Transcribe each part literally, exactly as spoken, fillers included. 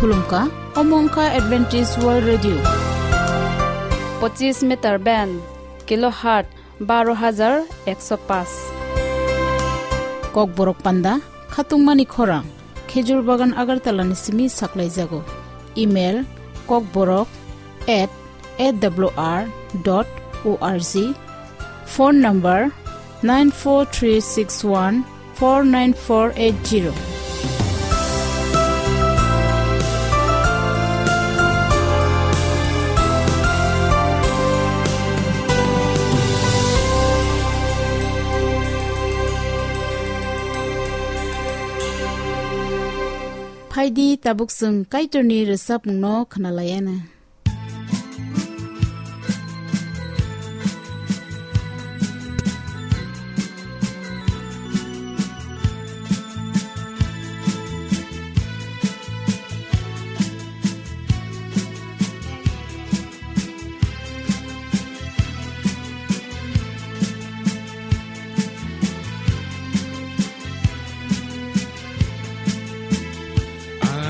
Khulumkha, omo wngkha Adventist World Radio. Pochis meter band, kilohertz baro hajar ekso paanch. Kokborok panda, khatungmani khorang, Khejur Bagan Agartala ni simi saklaijago. Email, kokborok at A W R dot org. Phone number, nine four three six one four nine four eight zero. Phaidi tabuk chwng Kaitorni rwchapmungno khwnalaiana.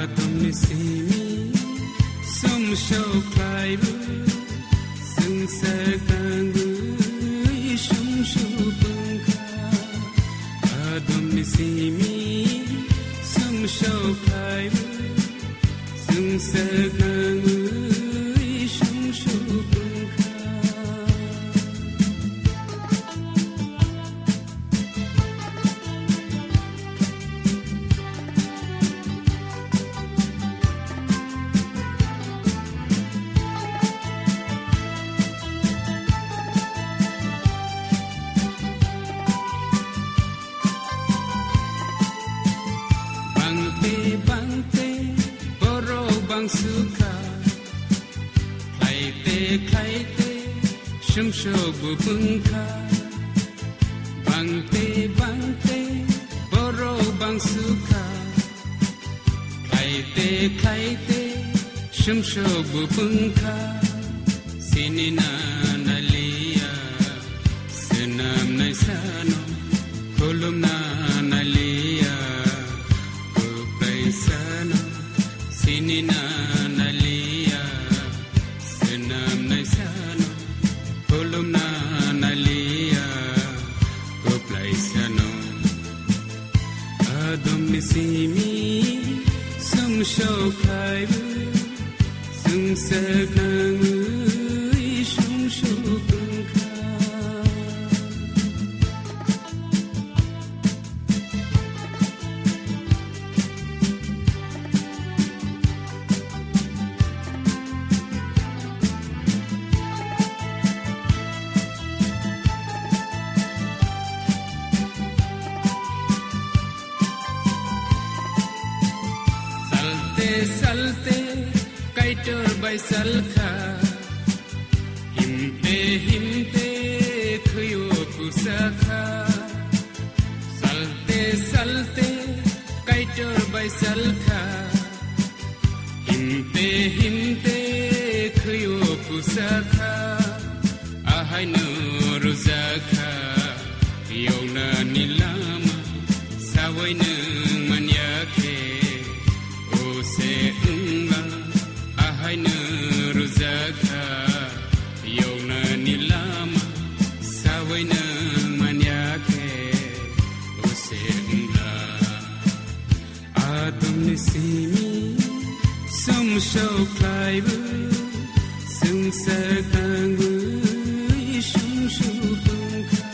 Atomni simi sumsok khlaibu, sumsok tangwi sumsok wngkha. Atomni simi sumsok khlaibu, sumsok tangwi sumsok wngkha. Bangte bangte borok bangsukha, khlaite khlaite sumsok bo wngkha. Bangte bangte borok bangsukha, khlaite khlaite sumsok bo wngkha. Sinina naliya swnamnai sano, khulumna naliya kwplai sano. Sinina naliya swnamnai sano, khulumna naliya kwplai sano. Adomni simi sumsok khlaibu, sumsok nangwi sumsok wngkha. Salte salte Kaitor bai salkha, himte himte khwio kusakha. Salte salte Kaitor bai salkha, himte himte khwio kusakha. Ahaino rwjakha yoknani lama, sawi nwng manya khe, o se wngla. Ahaino rwjakha yoknani lama, sawi nwng manya khe, o se wngla. Adomni simi sumsok khlaibu, sumsok tangwi sumsok wngkha.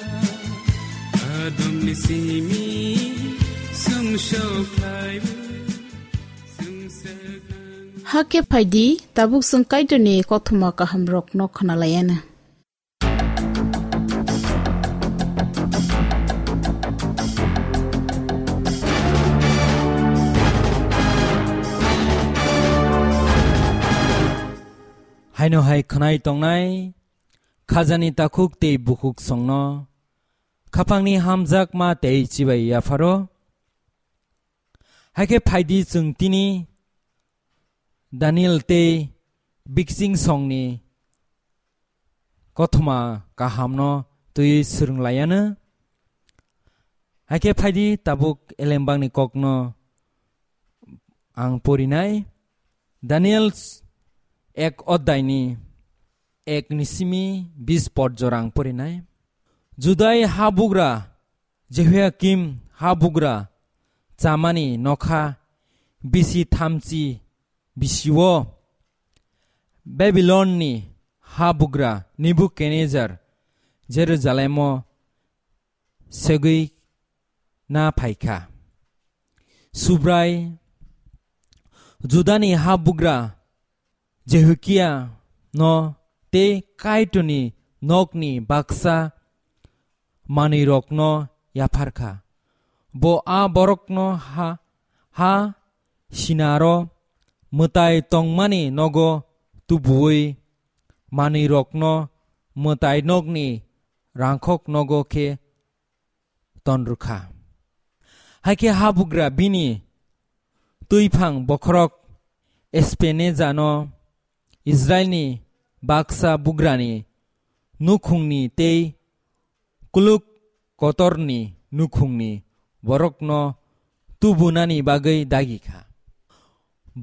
Adomni simi sumsok khlaibu, sumsok tangwi. Hakhe phaidi, tabuk chwng Kaitorni kothoma kahamrokno khwnalaiana. Haino hai khwnai tongnai khajani takhuk tei bukhuk songno, khapangni hamjakma tei chibai yapharo. Haikhe phaidi chwng tini Daniel tei Biksing songni kothoma kahamno twiwi swrwng laiyanw. Haikhe phaidi tabuk elembakni kokno ang porinai. Daniel ek oddaini ek ni simi bis pod jora ang porinai. Judai habugra Jehoiakim habugra chamani nokha bisi thamchi bisio Babilonni habugra Nebukadnezar Jerusalemo segwi na phaikha. Subrai Judani habugra Jehoiakim no tei Kaitorni nokni baksa manwirokno yapharkha. Bo a borokno ha, ha sinaro mwtai tongmani nogo tubuwi manwirokno mwtai nokni rangkhok nogo khe tonrwkha. Haikhe habugra bini twiphang bokhorok Espenejano Israilni baksa bugrani nukhungni tei kuluk kotorni nukhungni borokno tubunani bagwi dagikha.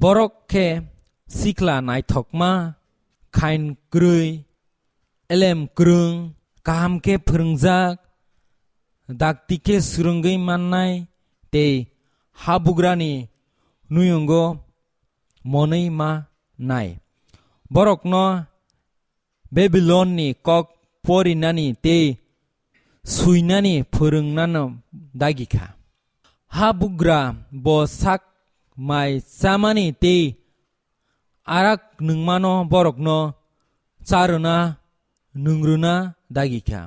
Borok khe sikla naithokma, khain kwrwi, elem kwrwng, kaham khe phwrwngjak, dakti khe swrwngwi mannai tei habugrani nuyungo monwi ma nai. Borokno Babilonni kok porinani tei suinani phwrwngnano dagikha. Habugra bo sak mai chamani tei arak nungmano borokno charwna nungrwna dagikha.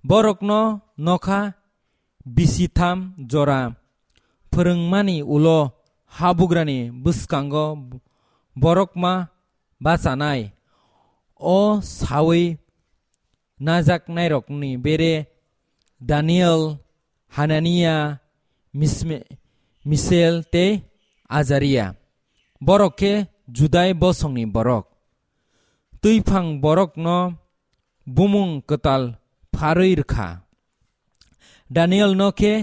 Borokno nokha bisitham jora phwrwngmani ulo habugrani bwskango borokma bachanai. O sawi najaknairokni bere Daniel, Hanania, Misme-, Misel tei Azaria. Borok khe Judai bosongni borok. Twiphang borokno bumung kwtal pharwi rwkha. Danielno khe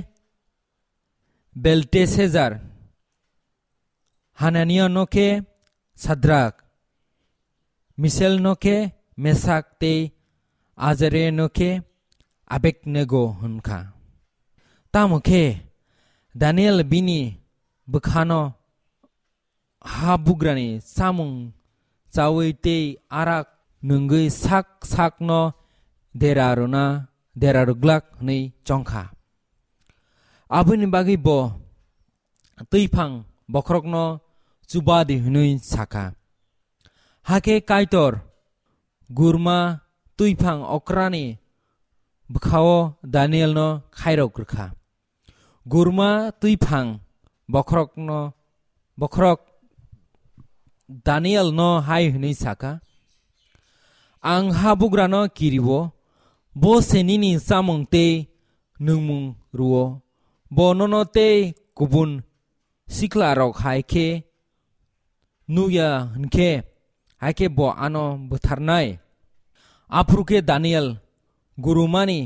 Belteshazzar, Hananiano khe Sadrak, Miselno khe Mesak tei Azariano khe Abednego hwn kha. Tamo khe Daniel bini bwkhano habugrani chamung chawi tei arak nungwi sak sakno dera rwna, dera rwglak hwnwi chong kha. Aboni bagwi bo twiphang bokhorokno chuba di hwnwi sa kha. Hakhe Kaitor gurma twiphang okrani bwkhao Danielno khairok rwkha. Gurma twiphang bokhorokno, bokhorok Danielno hai hwnwi sa kha, "Ang habugrano kiriwo, bo se nini chamung tei nungmung rwo. Bo nono tei kubun siklarok hai khe nukya hwn khe, hai khe bo ano butharnai." Aphuru khe Daniel gurumani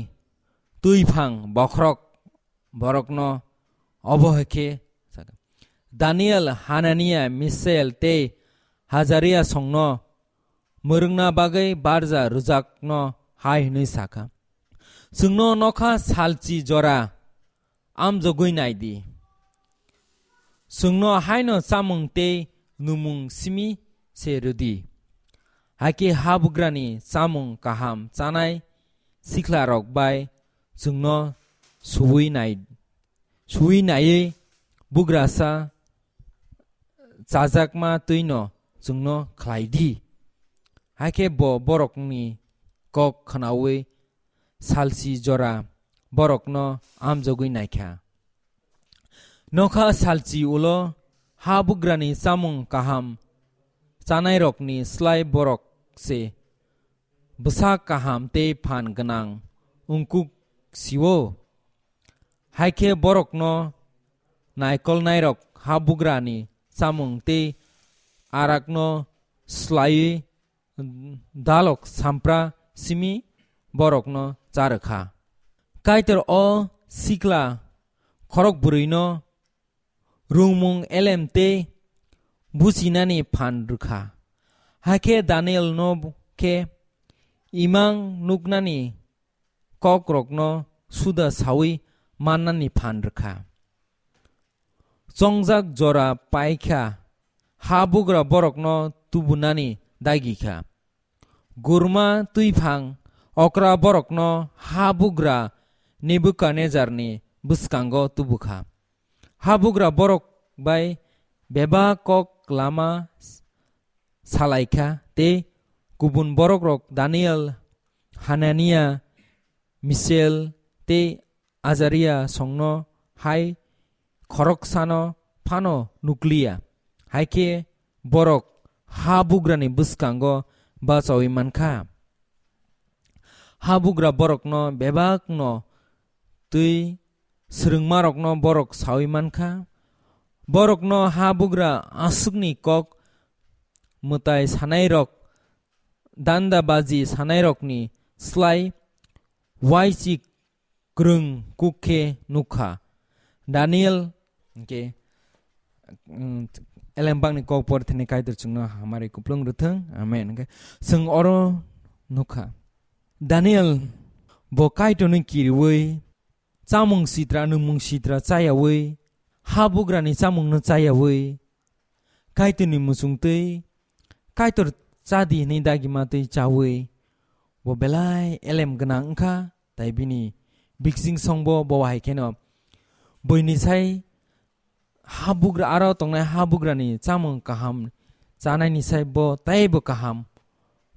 twiphang bokhorok borokno obo hai khe sa kha, "Daniel, Hanania, Misael tei Hazaria songno mwrwngna bagwi barja rwjakno hai hwnwi sa kha, 'Chwngno nokha salchi jora amjogwi nai di. Chwngno haino chamung tei numung simi se rw di. Hakhe habugrani chamung kaham chanai siklarok bai chwngno suwi nai, suwi naiwi bugrasa chajakma twino chwngno khlai di.' Hakhe bo borokni kok khnaui salchi jora borokno amjogwi naikha. Nokha salchi ulo habugrani chamung kaham chanairokni slai borok se bwsa kaham tei phan gwnang wngkuk sio. Hai khe borokno naikolnairok habugrani chamung tei arakno slaiwi dalok sampra simi borokno cha rw kha. Kaitor o sikla khorok bwrwino rwngmung elem tei buchinani phan rw kha. Hakhe Danielno khe imang nuknani kokrokno suda saui mannani phan rw kha. Chongjak jora pai kha, habugra borokno tubunani dagi kha. Gurma twiphang okra borokno habugra Nebukadnejarni bwskango tubu kha. Habugra borok bai bebak kok lama salai kha, tei kubun borokrok Daniel, Hanania, Misel tei Azaria songno hai khoroksano phano nukliya. Hai khe borok habugrani bwskango bachaui man kha. Habugra borokno bebakno twi swrwngmarokno borok saui man kha. Borokno habugra aswkni kok mwtai sanairok, dandabaji sanairokni slai uaisuk kwrwng kuk khe nuk kha. Daniel hwnkhe, mm, elembakni kok por thani Kaitor chwngno hamari kuplung rwthwng. Amen. Hwnkhe chwng oro nuk kha. Daniel bo Kaitorno kiriui chamung sitra, nwngmung sitra chayaui, habugrani chamungno chayaui, Kaitorni muchungtwi, Kaitor chadi hwnwi dagima twi chaui, bo belai elem gwnang wngkha, tai bini biksing songbo bo hai kheno buini sai habugra, aro tongnai habugrani chamung kaham chanaini sai bo teibo kaham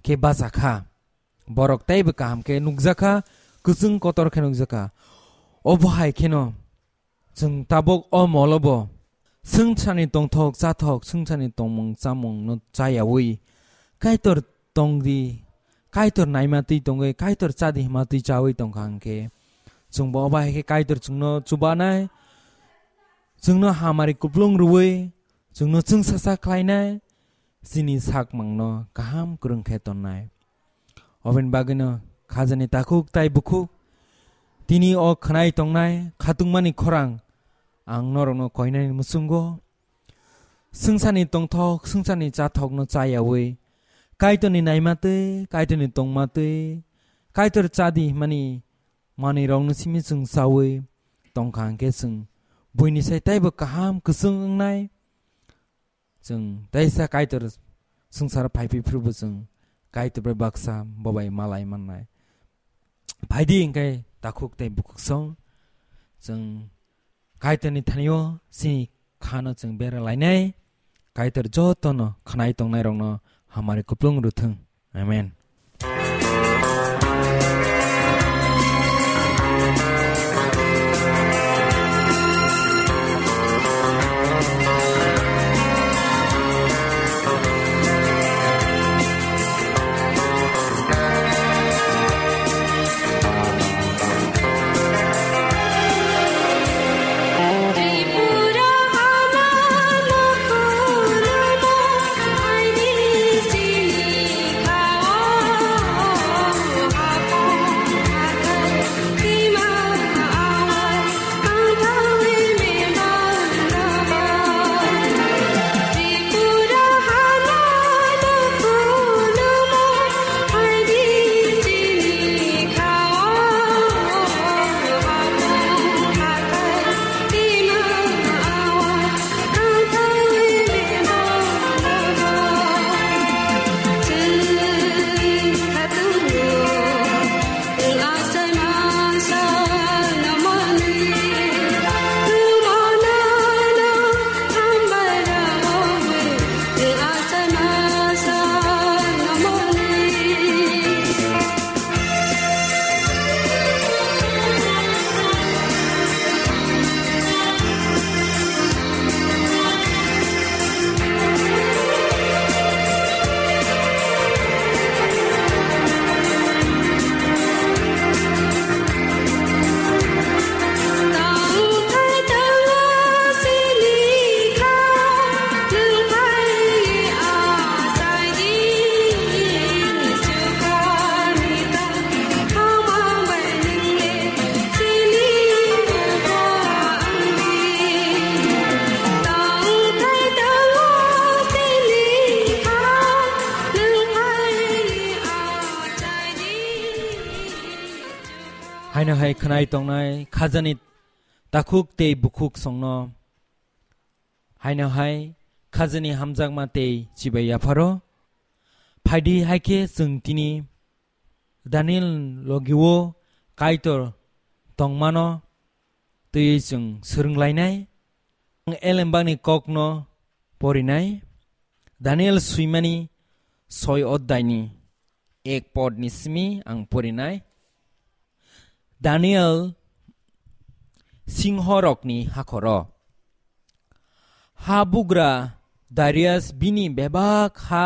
khe bachakha. Borok teibo kaham khe nukjakha, kwchwng kotor khe nukjakha. Obo hai kheno chwng tabuk o molo bo swngcharni tongthok chathok, swngcharni tongmung chamungno chayaui Kaitor tongdi, Kaitor naima twi tongwi, Kaitor chadi hima twi chaui tongkha hwnkhe, chwngbo obo hai khe Kaitor chwngno chubanai, chwngno hamari kuplung rwui, chwngno chwngsacha khlainai, chini sakmangno kaham kwrwng khe tonnai. Oboni bagwino khajani takhuk tai bukhuk, tini o khwnai tongnai khatungmani khorang ang norokno koinani muchungo, swngcharni tongthok, swngcharni chathokno chayaui, Kaitorni naima twi, Kaitorni tongma twi, Kaitor chadi himani manwirokno simi chwng chaui tongkha hwnkhe, chwng buini sai teibo kaham kwchwng wngnai. Chwng teisa Kaitor swngcharo phaiphai phuru bo chwng Kaitor bai baksa bo bai malai mannai. Phaidi hwnkhe takhuk tei bukhuk song chwng Kaitorni thanio chini khano chwng bera lainai. Kaitor jotono khwnai tongnairokno hamari kuplung rwthwng. Amen. Haino hai khwnai tongnai khajani takhuk tei bukhuk songno, haino hai khajani hamjakma tei chibai yapharo. Phaidi hai khe chwng tini Daniel logio Kaitor tongmano twiwi chwng swrwnglainai. Ang elembakni kokno porinai. Daniel swimani soi oddaini ek podni simi ang porinai. Daniel singhorokni hakhoro. Ha bugra Darius bini bebak ha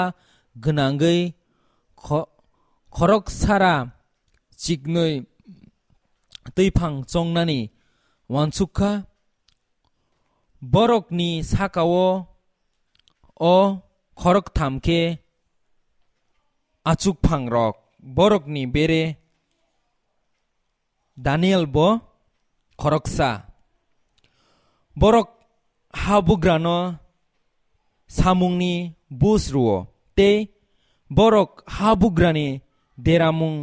gwnangwi kho-, khoroksara chiknwi twiphang chongnani uansukha. Borokni sakao o khoroktham khe achukphangrok, borokni bere Daniel bo khoroksa. Borok habugrano samungni bus rwo, tei borok habugrani deramung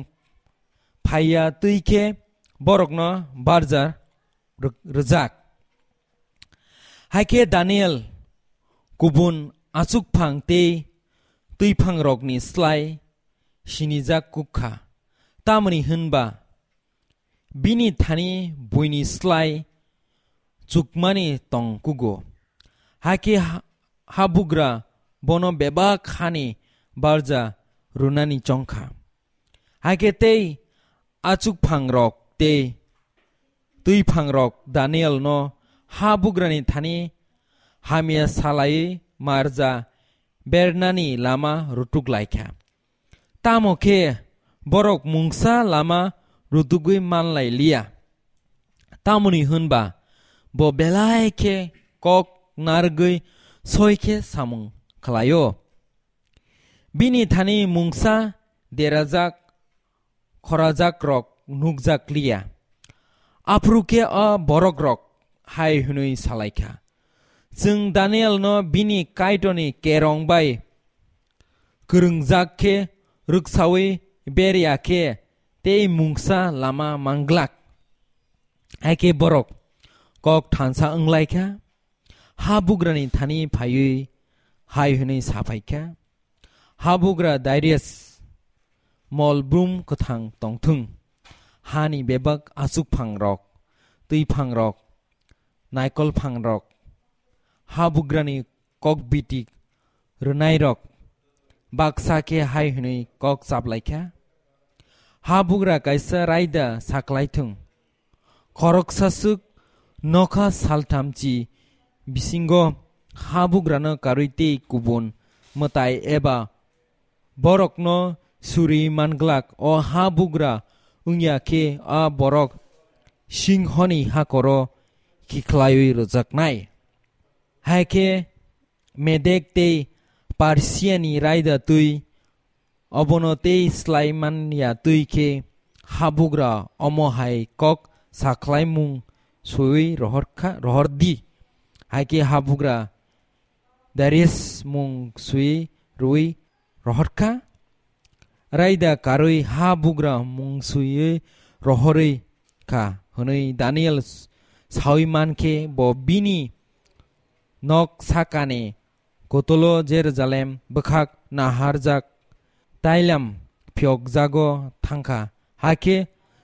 phaiya twi khe borokno barja rw-, rwjak. Hai khe Daniel kubun achukphang tei twiphangrokni slai sinijak kuk kha, tamni hwn ba bini thani buini slai chukmani tong kugo. Hai khe ha-, habugra bono bebak hani barja rwnani chong kha. Hai khe tei achukphangrok tei twiphangrok Danielno habugrani thani hamya salaiwi marja bernani lama rutuk lai kha. Tamo khe borok mungsa lama rutugwi man lai liya. Tamoni hwn ba bo belai khe kok narwgwi soi khe samung khlai-o. Bini thani mungsa derajak khorajakrok nukjak liya. Aphuru khe a borokrok hai hwnwi salai kha, "Chwng Danielno bini Kaitorni kerong bai kwrwngjak khe rwksaui ber ya khe tei mungsa lama man glak." Hai khe borok kok thansa wng lai kha, habugrani thani phaiwi hai hwnwi sa phai kha, "Habugra Darius, mol brum kwthang tong thung. Hani bebak achukphangrok, twiphangrok, naikolphangrok, habugrani kokbiti rwnairok baksa khe hai hwnwi kok chaplai kha, 'Habugra kaisa raida saklai thung. Khoroksa swk nokha salthamchi bisingo habugrano karwi tei kubun mwtai eba borokno suri man glak. O habugra wngya khe a borok singhoni hakoro khiklaiwi rwjaknai.' Hai khe Medek tei Persiani raida twi obono tei slai man ya twi khe habugra omo hai kok sakhlaimung swiwi rohor kha, rohor di. Hai khe habugra Darius mung swiwi rwui rohor kha. Raida karwi habugra mung swiwi rohorwi kha hwnwi Daniel saui man khe bo bini nok sakani kotolo Jerusalem bwkhak naharjak tailam phiyokjago thangkha. Hakhe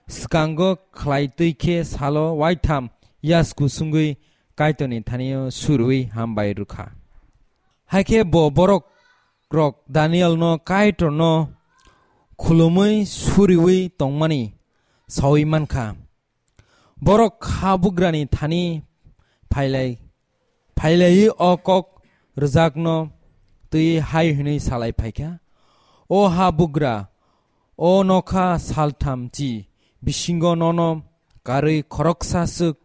swkango khlai twi khe salo waitham yasku sungwi Kaitorni thanio surwi hambai rwkha. Hakhe bo borok rok Danielno Kaitorno khulumwi suriwi tongmani saui mankha. Borok habugrani thani phailai, phailaiwi o kok rwjakno twi hai hwnwi salai phaikha, "O habugra, o nokha saltham chi bisingo nono karwi khoroksa swk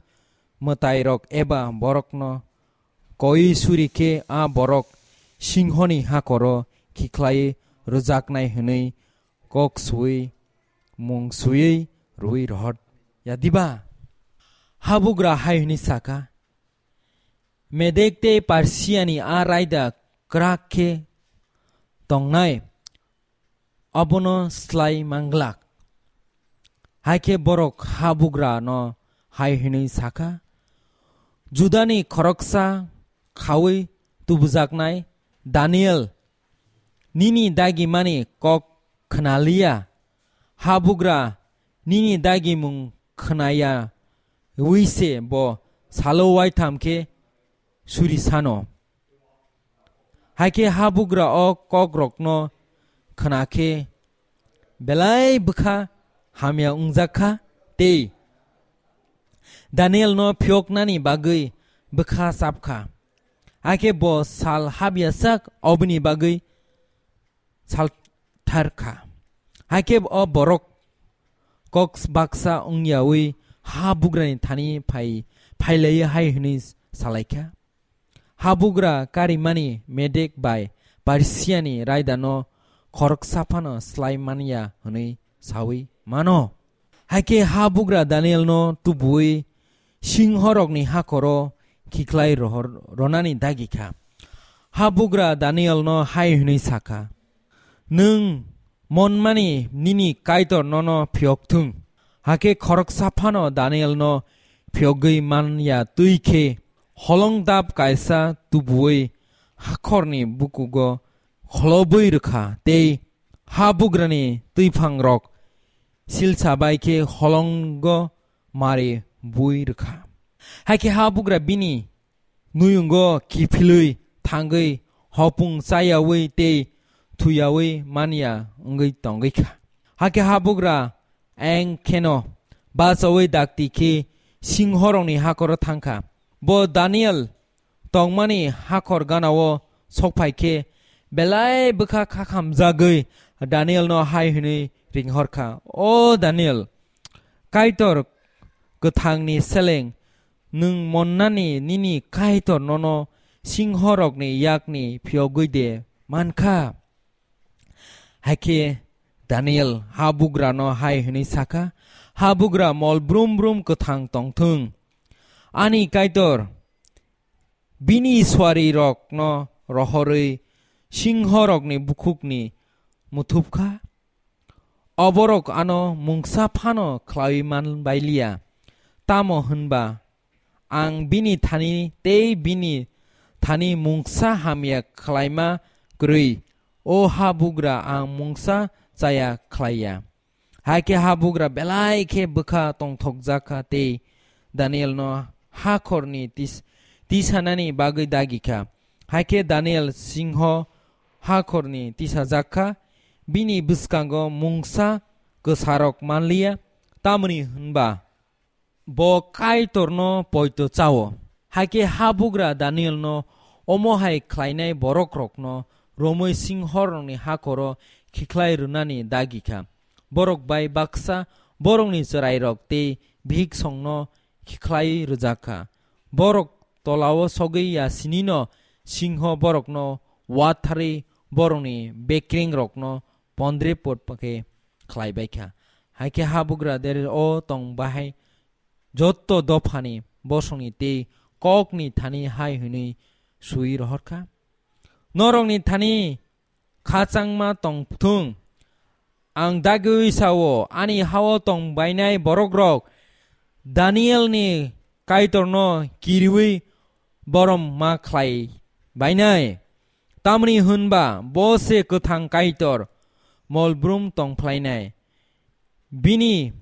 mwtairok eba borokno koi suri khe a borok singhoni hakoro khikhlaiwi rwjaknai hwnwi kok sui mung suiwi rwi rohor ya diba?" Habugra hai hwnwi sakha, "Medek tei Persiani a raida kwrak khe tongnai, abono slai manglak. Hai khe borok habugra no hai hwnwi sa kha, "Judani khoroksa khaui tubujaknai Daniel, nini dagimani kok khna liya, habugra nini dagimung khna yaui se bo salo waitham khe suri sano." Hai khe habugra o kokrokno khna khe belai bwkha hamya wngjak kha tei Danielno phiyoknani bagwi bwkha chap kha. Hai khe bo sal hap ya sak oboni bagwi salthar kha. Hai khe o borok kok baksa wng yaui habugrani thani phai, phai laiwi hai hwnwi sa lai kha, "Habugra karimani Medek bai Persiani raidano khoroksa phano slai man ya hwnwi saui mano." Hai khe habugra Danielno tubuui singhorokni hakhoro khiklai rohor-, ronani dagi kha. Habugra Danielno hai hwnwi sa kha, "Nwng monmani nini Kaitor nono phiyok thung." Hakhe khoroksa phano Danielno phiyogwi man ya twi khe holongdap kaisa tubuui hakhorni bukugo kholobwi rwkha tei habugrani twiphangrok silsa bai khe holongo mari bui rwkha. Hai khe habugra bini nuyungo kiphilwi thangwi hopung chayaui tei thuyaui man ya wngwi tongwi kha. Hakhe habugra eng kheno bachaui dakti khe singhorokni hakhoro thang kha. Bo Daniel tongmani hakhor ganao sokphai khe belai bwkha khakhamjagwi Danielno hai hwnwi ringhor kha, "O Daniel, Kaitor kwthangni seleng nwng monnani nini Kaitor nono singhorokni yakni phiyogwi de man kha?" Hai khe Daniel habugrano hai hwnwi sa kha, "Habugra mol brum brum kwthang tong thung. Ani Kaitor bini suarirokno rohorwi singhorokni bukhukni muthup kha. Oborok ano mungsa phano khlaiwi man bai liya. Tamo hwnba ang bini thani tei bini thani mungsa hamya khlaima kwrwi, o habugra ang mungsa chaya khlai ya." Hai khe habugra belai khe bwkha tongthokjak kha tei Danielno hakhorni tis-, tisanani bagwi dagi kha. Hai khe Daniel singho hakhorni tisajak kha, bini bwskango mungsa kwsarok man liya, tamoni hwnba bo Kaitorno poito chao. Hai khe habugra Danielno omo hai khlainai borokrokno romwi singhorokni hakhoro khikhlai rwnani dagi kha. Borok bai baksa borokni chwrairok tei bihiksongno khikhlai rwjak kha. Borok tolao sogwi ya sinino singho borokno watharwi borokni bekrengrokno pondre pot khe khlai bai kha. Hai khe habugra dere o tong bahai jotto dophani bosongni tei kokni thani hai hwnwi sui rohor kha, "Norokni thani khachangma tong thung. Ang dagwi sao, ani hao tong bainai borokrok Danielni Kaitorno kiriwi borom ma khlai bainai. Tamni hwnba bo se kwthang Kaitor, mol brum tong phlainai. Bini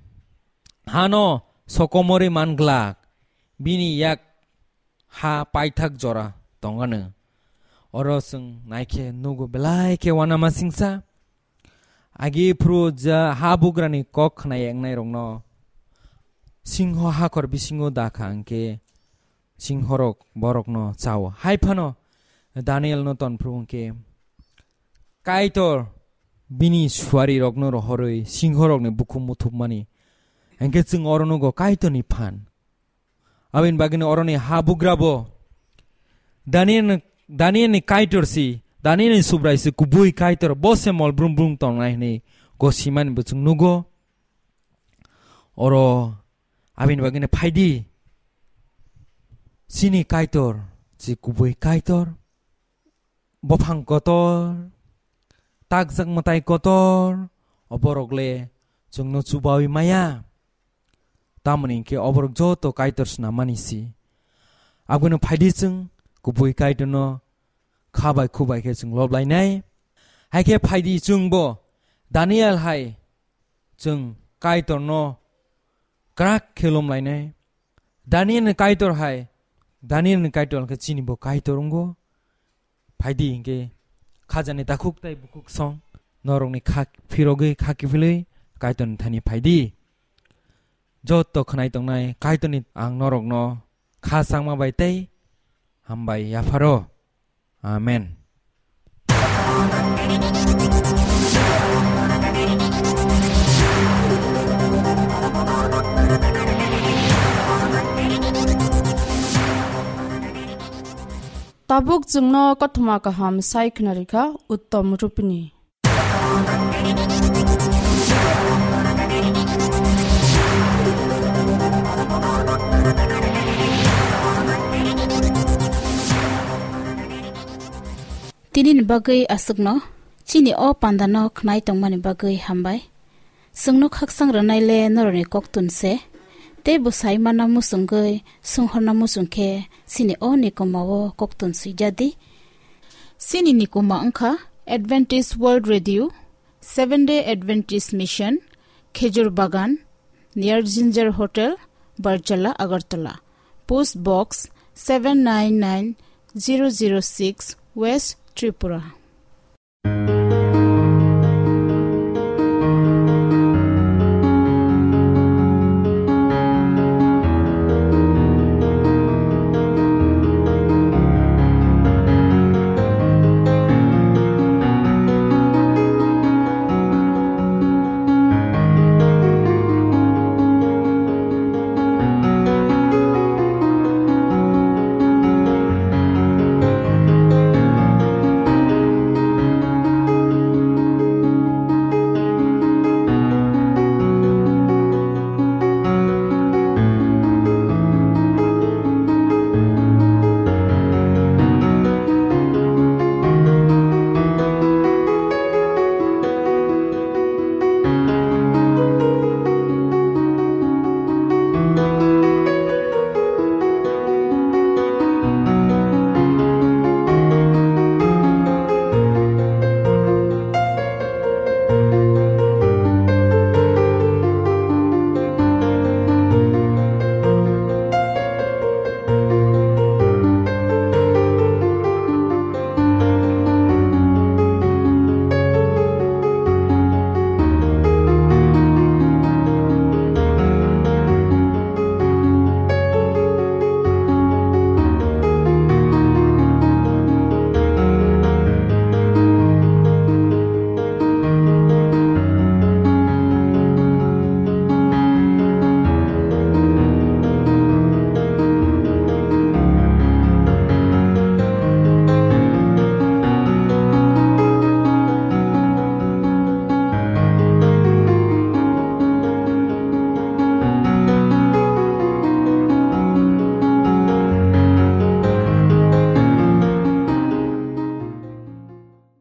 hano sokomorwi man glak, bini yak ha paithak jora tongano." Oro chwng naikhe nugo belai khe uanama singsa. Agi phuru ja habugrani kok khna yangnairokno singho hakhor bisingo da kha hwnkhe singhorok borokno chao. Hai phano Danielno tonphru hwnkhe Kaitor bini suarirokno rohorwi singhorokni bukhuk muthupmani. Hwnkhe chwng oro nugo Kaitorni phan. Aboni bagwino oroni habugrabo Daniel, Danielni Kaitor si, Danielni Subrai si kubui Kaitor, bo se mol brum brum tongnai hwnwi gosimani bo chwng nugo. Oro aboni bagwino phaidi, chini Kaitor si kubui Kaitor. Buphang kotor, takjak mwtai kotor, o borok le chwngno chubaui maya. tamoni hinkhe oborok joto Kaitor snam mani si. Abono phaidi chwng kubui Kaitorno kha bai khu bai khe chwng lob lainai. Hai khe phaidi chwngbo Daniel hai chwng Kaitorno kwrak khe lom lainai. Daniel ni Kaitor hai, Daniel ni Kaitor khe chini bo Kaitor wngo. Phaidi hinkhe khajani takhuk tai bukhuk song norokni kha phirogwi kha kiphilwi Kaitorni thani phaidi. Joto khwnai tongnai Kaitorni ang norokno kha changma bai tei hambai yapharo. Amen. Tabuk chwngno kothoma kaham sai khwnarikha Uttom Rupini. Tini ni bagwi aswkno, chini o pandano khwnai tongmani bagwi hambai. Chwngno khakchang rwnai le norokni koktun se, tei bwsai mana muchungwi sunghorna muchung khe chini o nikomao koktun swijadi. Chini nikoma wngkha Adventist World Radio, Seventh Day Adventist Mission, Khejur Bagan, near Ginger Hotel, Barjala, Agartala. Post Box seven nine nine zero zero six, West Tripura.